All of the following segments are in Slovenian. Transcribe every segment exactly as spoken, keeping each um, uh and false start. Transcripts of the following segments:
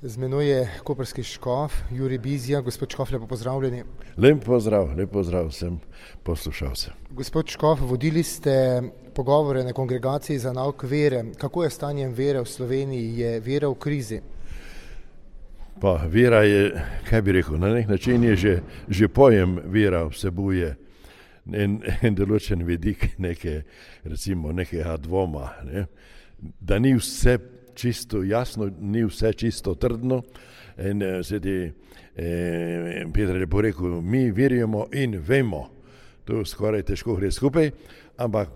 Z menoj je koprski škof Jurij Bizjak. Gospod škof, lepo pozdravljeni. Lep pozdrav, lep pozdrav vsem poslušalcem. Gospod škof, vodili ste pogovore na kongregaciji za nauk vere. Kako je stanje vere v Sloveniji? Je vera v krizi? Pa vera je, kaj bi rekel, na nek način je že, že pojem vera vsebuje en, en določen vidik neke, recimo nekega dvoma, ne? Da ni vse čisto jasno, ni vse čisto trdno. In sedi eh, Peter je porekel, mi verjamo in vemo. To skoraj težko gre skupaj, ampak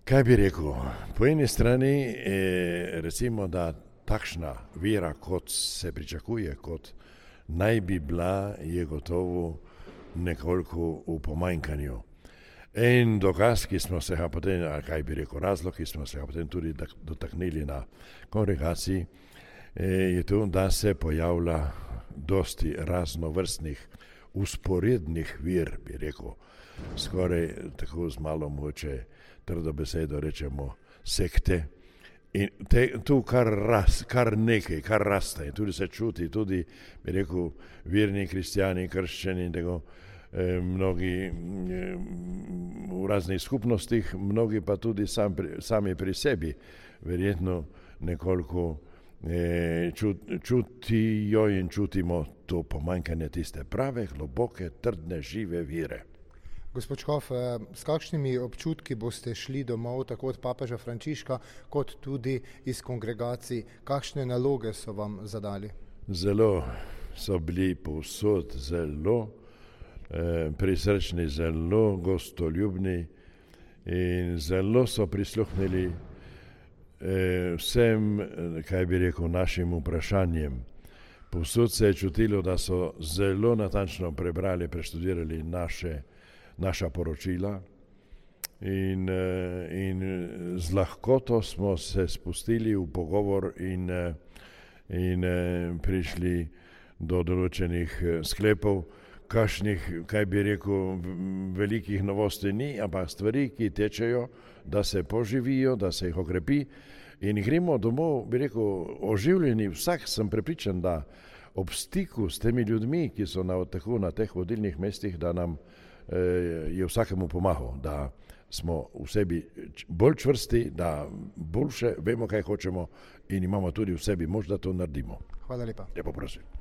kaj bi rekel, po eni strani eh, recimo, da takšna vera, kot se pričakuje, kot naj bi bila, je gotovo nekoliko v pomanjkanju. In dokaz, ki smo se ga potem, ali kaj bi rekel, razlog, ki smo se ga potem tudi dotaknili na kongregaciji, je to, da se pojavlja dosti raznovrstnih usporednih vir, bi rekel, skoraj tako z malo moče trdo besedo rečemo sekte. In te, tu kar, ras, kar nekaj, kar raste in tudi se čuti, tudi bi rekel, verni kristjani, krščani in tako, eh, mnogi eh, v raznih skupnostih, mnogi pa tudi sam, sami pri sebi, verjetno nekoliko eh, čut, čutijo in čutimo to pomanjkanje tiste prave, globoke, trdne, žive vire. Gospod škof, s kakšnimi občutki boste šli domov, tako od papeža Frančiška, kot tudi iz kongregacij? Kakšne naloge so vam zadali? Zelo so bili povsod, zelo eh, prisrčni, zelo gostoljubni in zelo so prisluhnili eh, vsem, kaj bi rekel, našim vprašanjem. Povsod se je čutilo, da so zelo natančno prebrali, preštudirali naše naša poročila in, in z lahkoto smo se spustili v pogovor in, in prišli do določenih sklepov, kakšnih, kaj bi rekel, velikih novosti ni, ampak stvari, ki tečejo, da se poživijo, da se jih okrepi in gremo domov, bi rekel, oživljeni. Vsak sem prepričan, da ob stiku s temi ljudmi, ki so na, tako na teh vodilnih mestih, da nam je vsakemu pomagal, da smo v sebi bolj čvrsti, da boljše vemo, kaj hočemo in imamo tudi v sebi moč, da to naredimo. Hvala lepa. Lepo prosim.